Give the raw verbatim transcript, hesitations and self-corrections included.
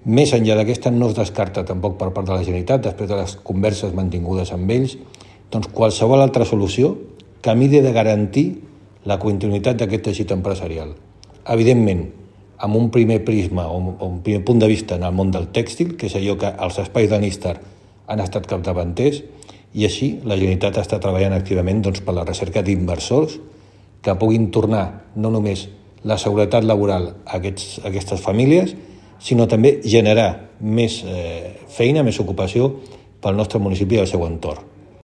Més enllà d'aquesta no es descarta tampoc per part de la Generalitat, després de les converses mantingudes amb ells, doncs qualsevol altra solució que miri de garantir la continuïtat d'aquest teixit empresarial. Evidentment, amb un primer prisma o un primer punt de vista en el món del tèxtil, que és allò que els espais de Nistar han estat capdavanters, i així la Generalitat està treballant activament doncs, per la recerca d'inversors que puguin tornar no només la seguretat laboral a, aquests, a aquestes famílies, sinó també generar més eh, feina, més ocupació pel nostre municipi i el seu entorn.